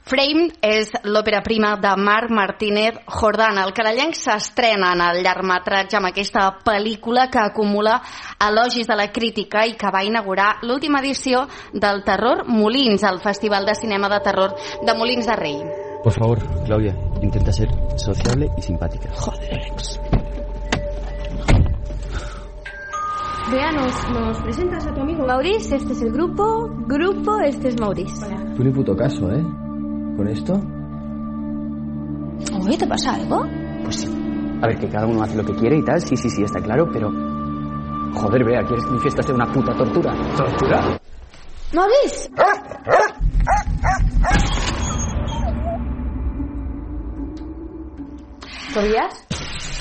Frame és l'òpera prima de Marc Martínez Jordán. El canadenc s'estrena en el llargmetratge amb aquesta pel·lícula que acumula elogis de la crítica i que va inaugurar l'última edició del Terror Molins, el Festival de Cinema de Terror de Molins de Rei. Por favor, Claudia, intenta ser sociable y simpática. Joder, Alex. Vea, nos presentas a tu amigo Maurice. Este es el grupo, este es Maurice. Hola. Tú ni puto caso, ¿eh? ¿Con esto? Oye, ¿te pasa algo? Pues sí. A ver, que cada uno hace lo que quiere y tal, sí, está claro, pero... Joder, Bea, ¿quieres que mi fiesta sea una puta tortura? ¿Tortura? ¡Maurice! ¿Podías?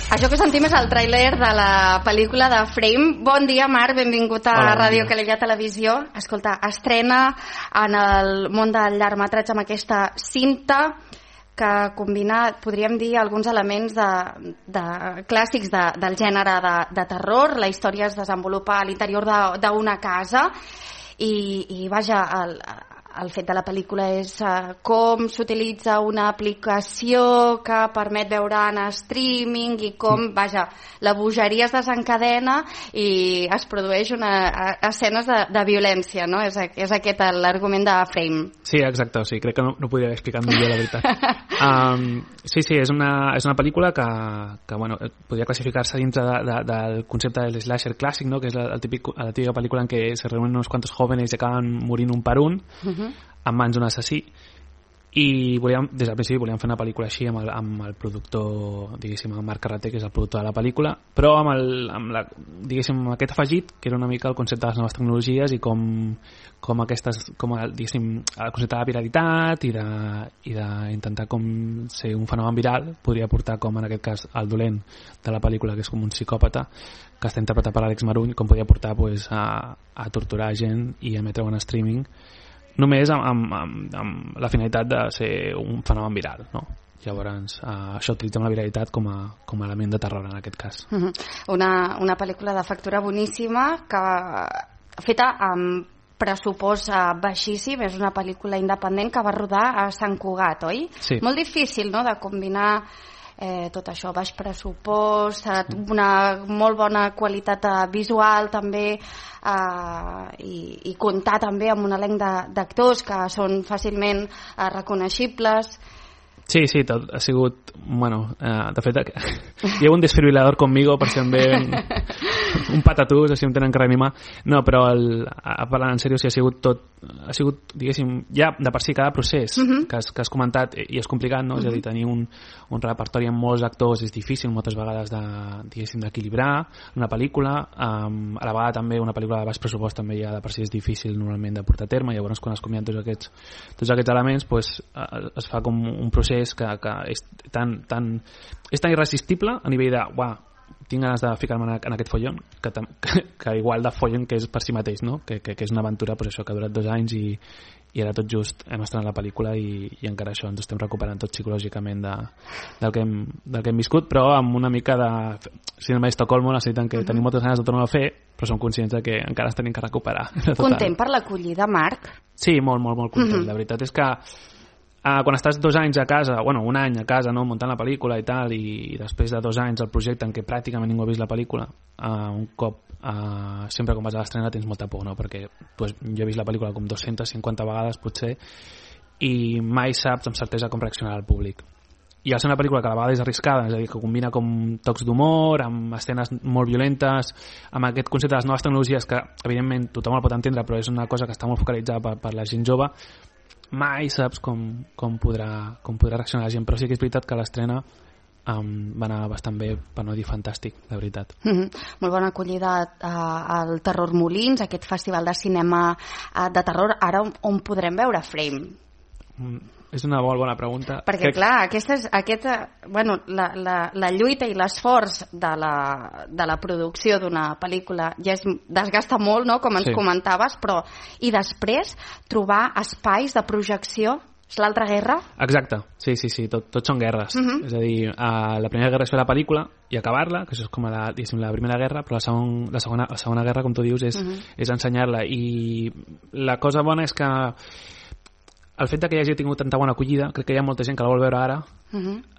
Això que sentim és el tràiler de la pel·lícula de Frame. Bon dia, Marc, benvingut a Ràdio Calella Televisió. Escolta, estrena en el món del llargmetratge amb aquesta cinta que combina, podríem dir, alguns elements de clàssics del gènere de terror. La història es desenvolupa a l'interior d'una casa i vaja, el fet de la pel·lícula és com s'utilitza una aplicació que permet veure en streaming i com, vaja, la bogeria es desencadena i es produeix escenes de violència, no? És aquest l'argument de Frame. Sí, exacte, sí, crec que no podria haver explicat millor, la veritat. Sí, és una pel·lícula que bueno, podria classificar-se dintre del concepte del slasher clàssic, no? Que és la típica pel·lícula en què se reúnen uns quantos jóvenes i acaben morint un per un, en mans d'un assassí, i des del principi volíem fer una pel·lícula així amb el productor, diguéssim, el Marc Carreter, que és el productor de la pel·lícula, però amb aquest afegit, que era una mica el concepte de les noves tecnologies i com diguéssim, el concepte de la viralitat i d'intentar com ser un fenomen viral podria portar, com en aquest cas el dolent de la pel·lícula, que és com un psicòpata que està interpretat per Àlex Maruny, com podia portar a torturar gent i emetre-ho en streaming, només amb la finalitat de ser un fenomen viral, no? Llavors, això utilitzem la viralitat com a element de terror en aquest cas. Una pel·lícula de factura boníssima feta amb pressupost baixíssim. És una pel·lícula independent que va rodar a Sant Cugat, oi? Sí. Molt difícil, no?, de combinar tot això, baix pressupost, una molt bona qualitat visual també, i comptar també amb un elenc d'actors que són fàcilment reconeixibles. Sí, tot ha sigut... Bueno, de fet, hi ha un desfibrilador conmigo per si em ve un patatús, així em tenen que reanimar. No, però parlant en sèrio, sí, ha sigut, diguéssim, ja de per si cada procés que has comentat i és complicat, no? És a dir, tenir un repertori amb molts actors és difícil moltes vegades d'equilibrar una pel·lícula. A la vegada també una pel·lícula de baix pressupost també ja de per si és difícil normalment de portar a terme. Llavors, quan es combinen tots aquests elements, pues, es fa com un procés que és tan irresistible a nivell de tinc ganes de ficar-me en aquest follon que igual de follon que és per si mateix, no? Que és una aventura, pues això, que ha durat 2 anys i ara tot just hem estrenat la pel·lícula i encara això ens estem recuperant tot psicològicament del que hem viscut, però amb una mica de síndrome d'Estocolmo, necessiten que tenim moltes ganes de tornar a fer, però som conscients de que encara ens tenim que recuperar. Content per l'acollida, Marc? Sí, molt content. La veritat és que quan estàs 2 anys a casa, un any a casa, no, muntant la pel·lícula i tal, i després de 2 anys el projecte en què pràcticament ningú ha vist la pel·lícula, un cop sempre quan vas a l'estrena tens molta por, no? Perquè jo he vist la pel·lícula com 250 vegades potser i mai saps amb certesa com reaccionarà el públic. I al ser una pel·lícula que a la vegada és arriscada, és a dir, que combina com tocs d'humor, amb escenes molt violentes, amb aquest concepte de les noves tecnologies que evidentment tothom el pot entendre, però és una cosa que està molt focalitzada per la gent jove, mai saps com podrà reaccionar la gent, però sí que és veritat que l'estrena va anar bastant bé, per no dir fantàstic, de veritat. Molt bona acollida al Terror Molins, aquest festival de cinema de terror. Ara on podrem veure Frame? És una molt bona pregunta. Perquè, clar, la lluita i l'esforç de la producció d'una pel·lícula ja es desgasta molt, no?, com ens comentaves, però i després trobar espais de projecció. És l'altra guerra? Exacte, sí, tot són guerres. És a dir, la primera guerra és fer la pel·lícula i acabar-la, que això és com la primera guerra, però la segona guerra, com tu dius, és ensenyar-la. I la cosa bona és que el fet que hi hagi tingut tanta bona acollida, crec que hi ha molta gent que la vol veure ara.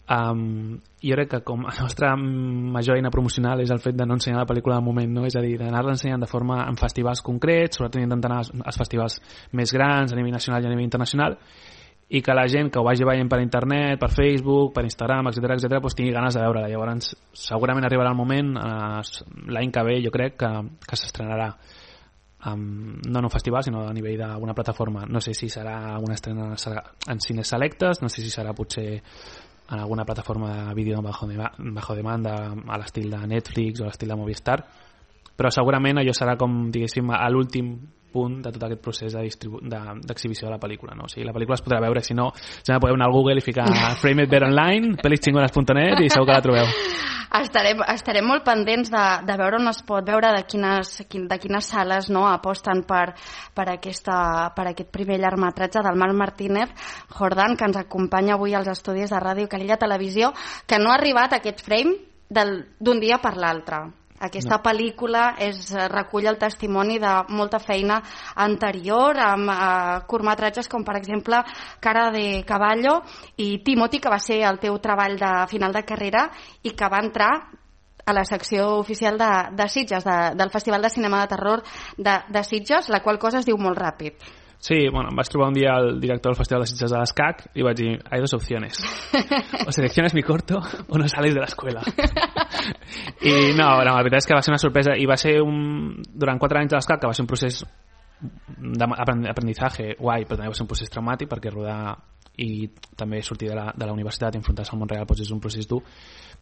Jo crec que com a nostra major eina promocional és el fet de no ensenyar la pel·lícula de moment, no? És a dir, d'anar-la ensenyant de forma en festivals concrets, sobretot intentant anar als festivals més grans a nivell nacional i a nivell internacional, i que la gent que ho vagi veient per internet, per Facebook, per Instagram, etc doncs tingui ganes de veure-la. Llavors segurament arribarà el moment l'any que ve, jo crec que s'estrenarà no en un festival sinó a nivell d'una plataforma. No sé si serà una estrena en cines selectes, no sé si serà potser en alguna plataforma de vídeo bajo demanda a l'estil de Netflix o a l'estil de Movistar, però segurament allò serà com, diguéssim, a l'últim punt de tot aquest procés d'exhibició de la pel·lícula, no? O sigui, la pel·lícula es podrà veure, si no, ja podeu anar a Google i ficar Frame It Better Online, pelisxingones.net i segur que la trobeu. Estarem molt pendents de veure on es pot veure, de quines sales, no, aposten per aquest primer llargmetratge del Marc Martínez Jordan, que ens acompanya avui als estudis de Ràdio Calella Televisió, que no ha arribat a aquest frame d'un dia per l'altre. Aquesta pel·lícula recull el testimoni de molta feina anterior, amb curtmetratges com, per exemple, Cara de Caballo i Timothy, que va ser el teu treball de final de carrera i que va entrar a la secció oficial de Sitges, del Festival de Cinema de Terror de Sitges, la qual cosa es diu molt ràpid. Sí, bueno, em vaig trobar un dia el director del Festival de Sitges de l'ESCAC i vaig dir, hay dos opciones, o selecciones mi corto o no sales de l'escuela. I no, la veritat és que va ser una sorpresa i va ser durant 4 anys de l'ESCAC, que va ser un procés d'aprendizaje guai, però també va ser un procés traumàtic, perquè rodar i també sortir de la universitat i enfrontar-se al món real doncs és un procés dur.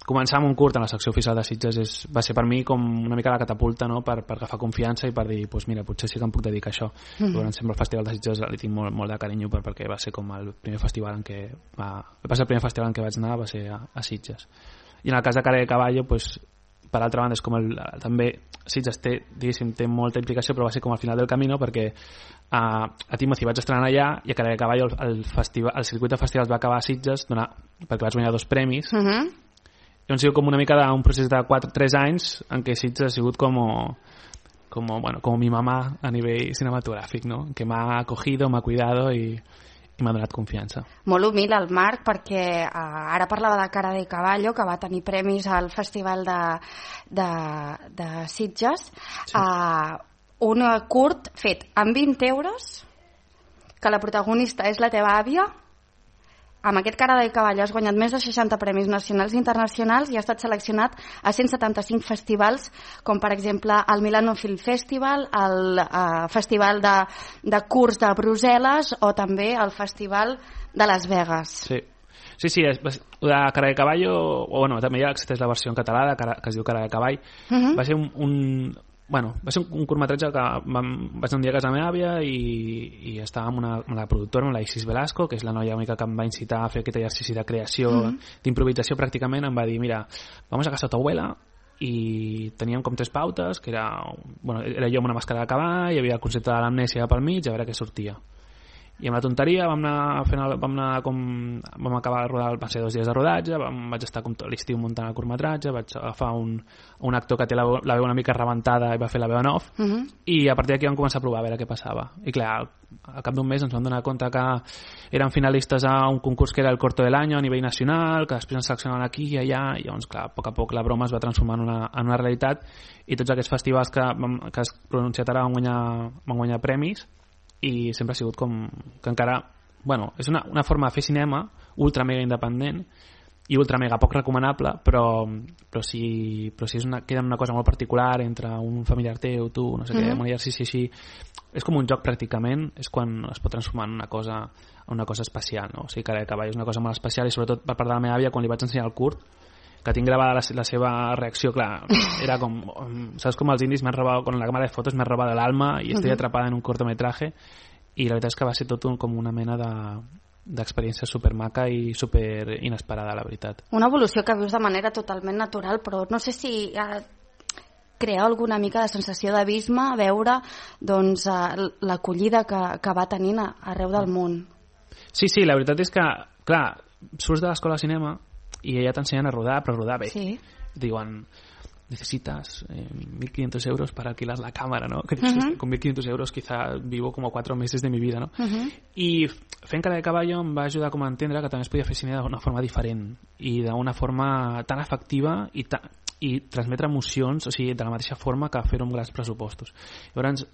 Començar amb un curt en la secció oficial de Sitges va ser per mi com una mica la catapulta, no? per agafar confiança i per dir, pues mira, potser sí que em puc dedicar a això. Sempre el Festival de Sitges li tinc molt de carinyo perquè va ser com el primer festival en què el primer festival en què vaig anar va ser a Sitges. I en el cas de Cara de Caballo, pues, per altra banda, és com també Sitges té molta implicació, però va ser com al final del camí, no? Perquè a Timothy vaig estrenar allà i a Cara de Caballo el circuit de festivals va acabar a Sitges perquè vaig guanyar 2 premis. I ha sigut com una mica d'un procés de 3 anys en què Sitges ha sigut com mi mamá a nivell cinematogràfic, no? Que m'ha acogido, m'ha cuidado i m'ha donat confiança. Molt humil el Marc, perquè ara parlava de Cara de Caballo, que va tenir premis al Festival de Sitges. Sí. Un curt fet amb 20 euros, que la protagonista és la teva àvia. Amb aquest Cara de Caballo has guanyat més de 60 premis nacionals i internacionals i ha estat seleccionat a 175 festivals, com per exemple el Milano Film Festival, el Festival de Curts de Brussel·les o també el Festival de Las Vegas. Sí, la Cara de Caballo, o bueno, també ja existeix la versió en català que es diu Cara de Cavall. Va ser va ser un curtmetratge que vaig anar un dia a casa meva àvia i estava amb la productora, amb la Isis Velasco, que és la noia única que em va incitar a fer aquest exercici de creació, d'improvisació pràcticament. Em va dir, mira, vamos a casa de tu abuela, i teníem com 3 pautes, que era jo amb una màscara de cavall, hi havia el concepte de l'amnèsia pel mig, a veure què sortia. I amb la tonteria vam acabar de rodar, van ser 2 dies de rodatge, vaig estar com tot l'estiu muntant el curtmetratge, vaig agafar un actor que té la veu una mica rebentada i va fer la veu en off, i a partir d'aquí vam començar a provar a veure què passava. I clar, al cap d'un mes ens vam donar compte que eren finalistes a un concurs que era el Corto del Año a nivell nacional, que després ens seleccionaven aquí i allà, i llavors clar, a poc a poc la broma es va transformar en una realitat, i tots aquests festivals que has pronunciat ara van guanyar premis, i sempre ha sigut com que encara, és una forma de fer cinema ultra mega independent i ultra mega poc recomanable, però si queda una cosa molt particular entre un familiar teu, tu, no sé què, un exercici així, és com un joc pràcticament, és quan es pot transformar en una cosa especial, no? O sigui, Cara de Cavall és una cosa molt especial, i sobretot per part de la meva àvia, quan li vaig ensenyar el curt, que tinc gravada la seva reacció, clar, era com, saps com els indis m'han robado, con la cámara de fotos m'han robado el alma y estoy atrapada en un cortometraje, i la veritat és que va ser tot com una mena d'experiència supermaca i super inesperada, la veritat. Una evolució que vius de manera totalment natural, però no sé si crea alguna mica de sensació d'abisme veure l'acollida que va tenint arreu del món. Sí, la veritat és que, clar, surts de l'escola de cinema i ja t'ensenyen a rodar, però rodar bé. Sí. Diuen, necesitas 1.500 euros para alquilar la cámara, ¿no? Que dices, con 1.500 euros quizá vivo como 4 meses de mi vida, no? I fent Cara de caballo em va ajudar com a entendre que també es podia fer cine d'una forma diferent i d'una forma tan efectiva i transmetre emocions, o sigui, de la mateixa forma que fer-ho amb grans pressupostos. Llavors,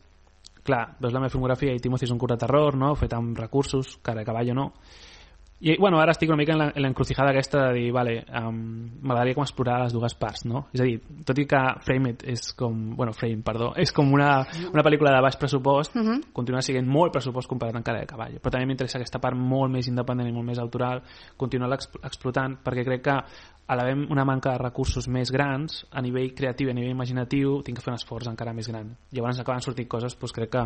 clar, veus la meva filmografia i Timothy és un curt de terror, no? Fet amb recursos, Cara de caballo no. I, bueno, ara estic una mica en l'encrucijada aquesta de dir, vale, m'agradaria com explorar les dues parts, no? És a dir, tot i que Frame és com... Bueno, Frame, perdó. És com una pel·lícula de baix pressupost, continua sent molt pressupost comparat amb Cara de caballo. Però també m'interessa aquesta part molt més independent i molt més autoral, continuar explotant, perquè crec que a l'haver una manca de recursos més grans, a nivell creatiu i a nivell imaginatiu, tinc que fer un esforç encara més gran. Llavors acaben sortint coses, doncs crec que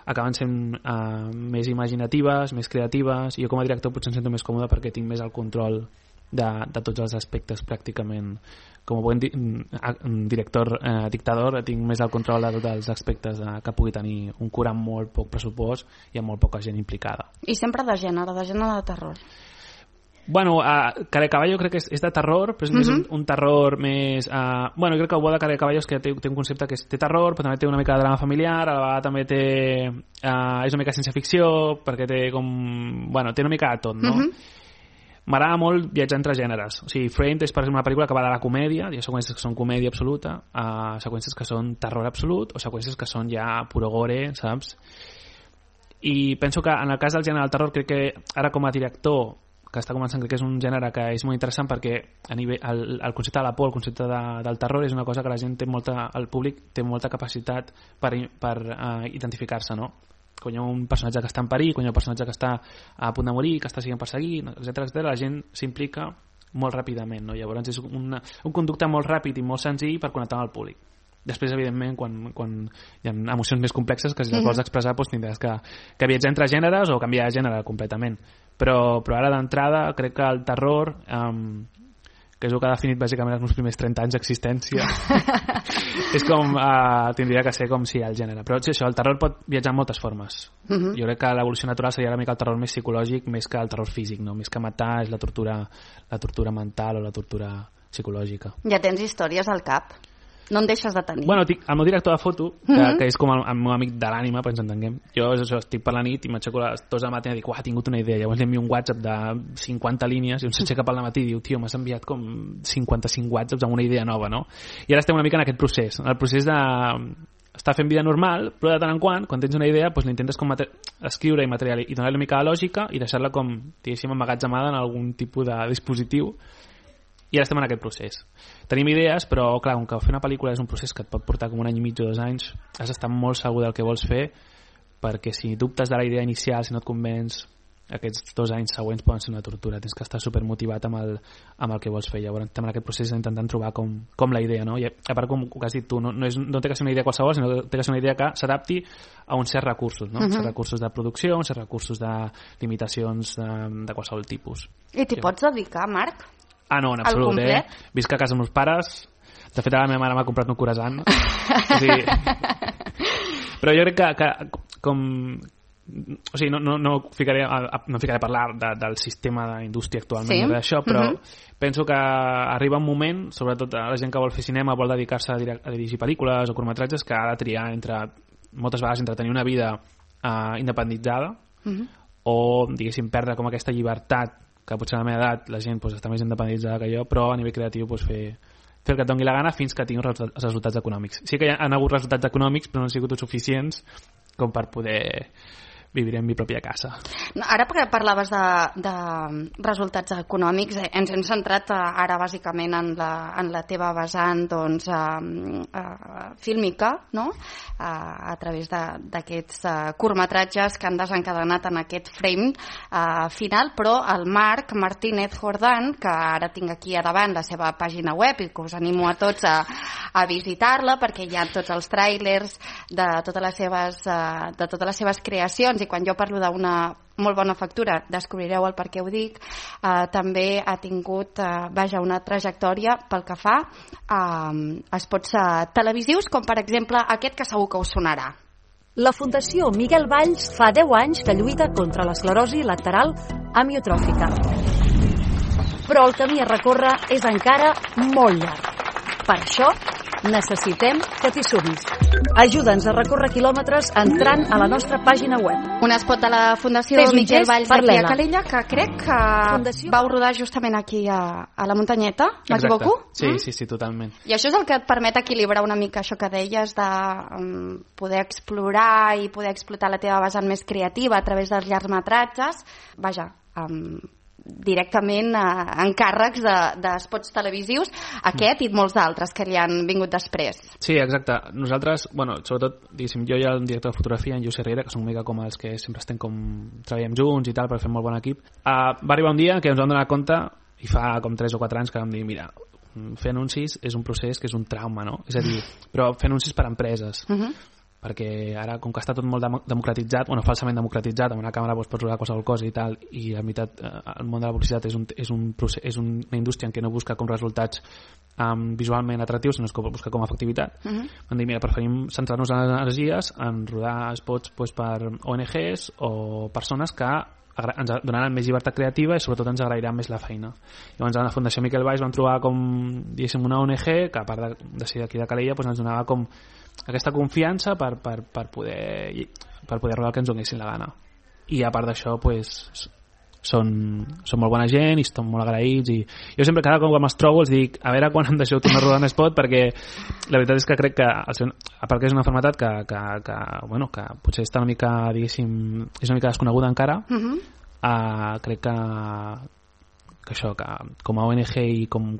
acaben sent més imaginatives, més creatives, i jo com a director potser em sento més còmode perquè tinc més el control de tots els aspectes pràcticament. Com a bon director dictador tinc més el control de tots els aspectes que pugui tenir un curt amb molt poc pressupost i amb molt poca gent implicada. I sempre de gènere de terror. Bueno, Cara de caballo crec que és de terror, però és més un terror més... Bueno, crec que el bo de Cara de caballo és que té un concepte que té terror, però també té una mica de drama familiar, a la vegada també té... és una mica ciència-ficció, perquè té com... Bueno, té una mica de tot, no? M'agrada molt viatjar entre gèneres. O sigui, Framed és, per exemple, una pel·lícula que va de la comèdia, hi ha seqüències que són comèdia absoluta, seqüències que són terror absolut, o seqüències que són ja puro gore, saps? I penso que en el cas del gènere del terror, crec que ara com a director que està començant, crec que és un gènere que és molt interessant perquè a nivell, el concepte de la por, el concepte del terror és una cosa que la gent té molta, el públic té molta capacitat per identificar-se, no? Quan hi ha un personatge que està en perill, quan hi ha un personatge que està a punt de morir, que està sent perseguit, etc., la gent s'implica molt ràpidament, no? Llavors és un conducte molt ràpid i molt senzill per connectar amb el públic. Després, evidentment, quan hi ha emocions més complexes que si les vols expressar, doncs tindràs que viatjar entre gèneres o canviar de gènere completament. Però ara d'entrada crec que el terror, que és el que ha definit bàsicament els meus primers 30 anys d'existència, és com tindria que ser com si el gènere. Però sí, això, el terror pot viatjar en moltes formes. Jo crec que l'evolució natural seria una mica el terror més psicològic més que el terror físic, no? Més que matar és la tortura mental o la tortura psicològica. Ja tens històries al cap? No en deixes de tenir. Bueno, el meu director de foto, que és com el meu amic de l'ànima, per ens entenguem, jo estic per la nit i m'aixeco a les 2 de la matina i dic, he tingut una idea. Llavors li envio un WhatsApp de 50 línies i un s'aixeca per la matí i diu, tio, m'has enviat com 55 WhatsApps amb una idea nova, no? I ara estem una mica en aquest procés, el procés de estar fent vida normal, però de tant en quan tens una idea, doncs l'intentes com escriure i material i donar-li una mica de lògica i deixar-la com, diguéssim, emmagatzemada en algun tipus de dispositiu. I ara estem en aquest procés. Tenim idees, però clar, com que fer una pel·lícula és un procés que et pot portar com 1 any i mig o 2 anys, has d'estar molt segur del que vols fer, perquè si dubtes de la idea inicial, si no et convenç, aquests 2 anys següents poden ser una tortura. Tens que estar supermotivat amb el que vols fer. Llavors estem en aquest procés intentant trobar com la idea, no? I a part, com has dit tu, no té que ser una idea qualsevol, sinó que té que ser una idea que s'adapti a uns certs recursos, no? Uns certs recursos de producció, uns certs recursos de limitacions de qualsevol tipus. I t'hi pots dedicar, Marc? No, en absolut, Visc a casa amb meus pares. De fet, ara la meva mare m'ha comprat un croissant. Però jo crec que com... O sigui, no ficaré a parlar del sistema d'indústria actualment d'això, però penso que arriba un moment, sobretot a la gent que vol fer cinema, vol dedicar-se a dirigir pel·lícules o curtmetratges, que ha de triar moltes vegades entre tenir una vida independitzada o, diguéssim, perdre com aquesta llibertat que potser a la meva edat la gent està més independitzada que jo, però a nivell creatiu fer el que et doni la gana fins que tingui els resultats econòmics. Sí que hi han hagut resultats econòmics, però no han sigut suficients com per poder vivir en mi pròpia casa. Ara perquè parlaves de resultats econòmics, ens hem centrat ara bàsicament en la teva vessant fílmica, no? A través d'aquests curtmetratges que han desencadenat en aquest frame final, però el Marc Martínez Jordán, que ara tinc aquí a davant la seva pàgina web i que us animo a tots a visitar-la perquè hi ha tots els tràilers de totes les seves creacions, i quan jo parlo d'una molt bona factura, descobrireu el per què ho dic. També ha tingut una trajectòria pel que fa a spots televisius, com per exemple aquest que segur que us sonarà. La Fundació Miguel Valls fa 10 anys que lluita contra l'esclerosi lateral amiotròfica. Però el camí a recórrer és encara molt llarg. Per això Necessitem que t'hi sumis. Ajuda'ns a recórrer quilòmetres entrant a la nostra pàgina web. Un spot de la Fundació Fes un Miquel gest Valls per aquí a l'Ela. Calella, que crec que Fundació. vau rodar justament aquí a la muntanyeta, m'equivoco? Sí, totalment. I això és el que et permet equilibrar una mica això que deies de poder explorar i poder explotar la teva vessant més creativa a través dels llargmetratges, vaja, directament encàrrecs d'espots televisius, aquest i molts d'altres que li han vingut després. Sí, exacte. Nosaltres, bueno, sobretot, diguéssim, jo i el director de fotografia, en Lluís Herrera, que són una mica com els que sempre estem treballem junts i tal, per fer molt bon equip, va arribar un dia que ens vam donar compte, i fa com 3 o 4 anys que vam dir, mira, fer anuncis és un procés que és un trauma, no? És a dir, però fer anuncis per a empreses. Perquè ara, com que està tot molt democratitzat, falsament democratitzat, amb una càmera pots rodar qualsevol cosa i tal, i la veritat, el món de la publicitat és una indústria en què no busca com resultats visualment atractius, sinó que busca com efectivitat. Vam dir, mira, preferim centrar-nos en les energies en rodar spots per ONGs o persones que ens donaran més llibertat creativa i sobretot ens agrairan més la feina. Llavors a la Fundació Miquel Valls vam trobar com, diguéssim, una ONG que a part de ser d'aquí de Calella ens donava com aquesta confiança per poder rodar el que ens donessin la gana. I a part d'això són molt bona gent i estan molt agraïts, i jo sempre cada cop que me'ls trobo els dic, a veure quan em deixeu tornar a rodar un spot, perquè la veritat és que crec que a part que és una malaltia que potser està una mica, diguéssim, és una mica desconeguda encara, crec que això, que com a ONG i com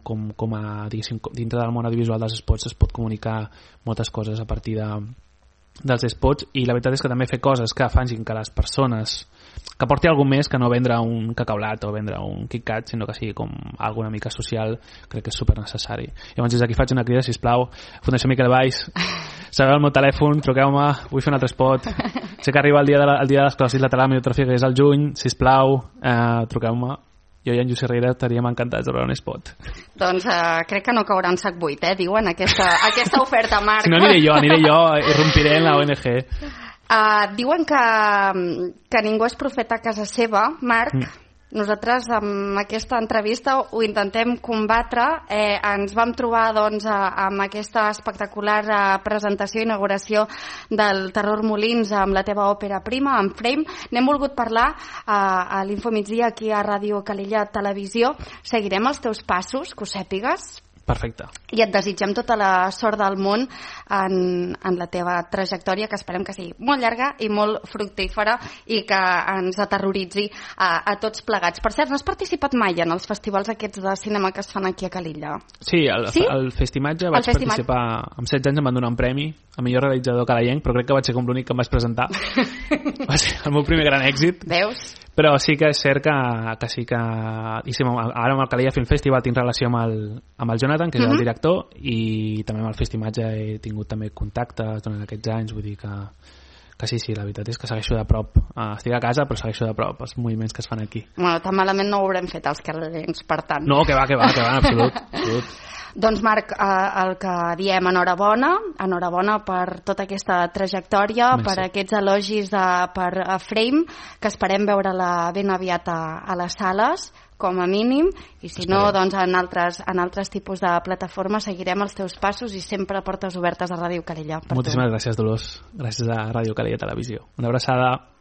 a, diguéssim, dintre del món audiovisual dels spots es pot comunicar moltes coses a partir dels spots, i la veritat és que també fer coses que facin que les persones, que porti alguna més que no vendre un cacaulat o vendre un KitKat, sinó que sigui com alguna mica social, crec que és super necessari. Llavors des d'aquí faig una crida, sisplau, Fundació Miquel Valls, sabeu el meu telèfon, truqueu-me, vull fer un altre spot, sé que arriba el dia de l'esclerosi lateral amiotròfica, que és el juny, sisplau, truqueu-me. Jo i en Lluís Herrera estaríem encantats de veure un spot. Doncs crec que no caurà en sac buit, diuen, aquesta oferta, Marc. Si no, aniré jo, irrompiré en la ONG. Diuen que ningú és profeta a casa seva, Marc. Nosaltres amb aquesta entrevista ho intentem combatre. Ens vam trobar amb aquesta espectacular presentació i inauguració del Terror Molins amb la teva òpera prima, amb Frame. N'hem volgut parlar a l'Infomigdia aquí a Ràdio Calella Televisió. Seguirem els teus passos, que ho sàpigues. Perfecte. I et desitgem tota la sort del món en la teva trajectòria, que esperem que sigui molt llarga i molt fructífera i que ens aterroritzi a tots plegats. Per cert, no has participat mai en els festivals aquests de cinema que es fan aquí a Calella? Sí, al Festimatge vaig participar. Amb 16 anys em van donar un premi a millor realitzador calayenc, però crec que vaig ser com l'únic que em vaig presentar. Va ser el meu primer gran èxit. Veus? Però sí que és cert que sí que... Ara amb el Calella Film Festival tinc relació amb el Jonathan, que és el director, i també amb el Festimatge he tingut també contactes durant aquests anys, vull dir que sí, la veritat és que segueixo de prop. Estic a casa, però segueixo de prop els moviments que es fan aquí. Bueno, tan malament no ho haurem fet els calellencs, per tant. No, que va, en absolut. Doncs Marc, el que diem, enhorabona per tota aquesta trajectòria, per aquests elogis per Frame, que esperem veure-la ben aviat a les sales, com a mínim, i si no, doncs en altres tipus de plataformes seguirem els teus passos i sempre portes obertes a Ràdio Calella. Moltíssimes gràcies, Dolors. Gràcies a Ràdio Calella Televisió. Una abraçada.